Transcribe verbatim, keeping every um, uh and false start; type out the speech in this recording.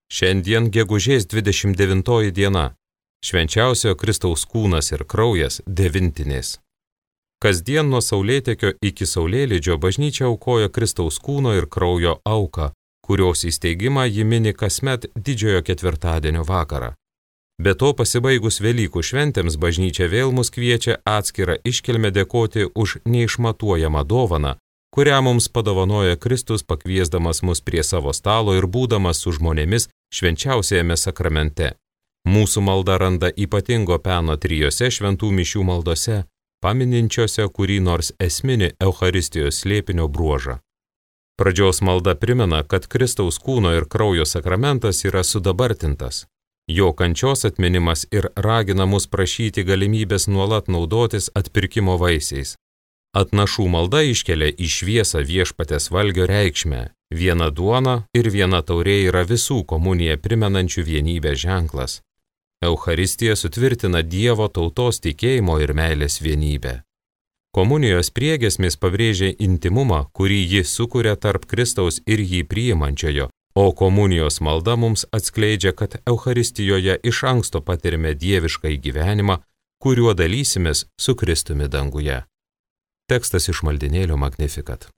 Šiandien gegužės dvidešimt devintoji diena. Švenčiausiojo Kristaus kūnas ir kraujas devintinės. Kasdien nuo saulėtekio iki saulėlydžio bažnyčia aukoja Kristaus kūno ir kraujo auką, kurios įsteigimą ji mini kasmet didžiojo ketvirtadienio vakarą. Be to, pasibaigus Velykų šventėms, bažnyčia vėl mus kviečia atskirą iškilmę dėkoti už neišmatuojamą dovaną, kurią mums padovanoja Kristus, pakviesdamas mus prie savo stalo ir būdamas su žmonėmis švenčiausiajame sakramente. Mūsų malda randa ypatingo peno trijose šventų mišių maldose, pamininčiose kurį nors esminį Eucharistijos slėpinio bruožą. Pradžios malda primena, kad Kristaus kūno ir kraujo sakramentas yra sudabartintas. Jo kančios atminimas ir ragina mus prašyti galimybės nuolat naudotis atpirkimo vaisiais. Atnašų malda iškelia į šviesą viešpaties valgio reikšmę. Viena duona ir viena taurė yra visų komuniją primenančių vienybę ženklas. Eucharistija sutvirtina Dievo tautos tikėjimo ir meilės vienybę. Komunijos priegiesmis pabrėžia intimumą, kurį ji sukuria tarp Kristaus ir jį priimančiojo, o komunijos malda mums atskleidžia, kad Eucharistijoje iš anksto patirime dievišką gyvenimą, kuriuo dalysimės su Kristumi danguje. Tekstas iš maldinėlio Magnificat.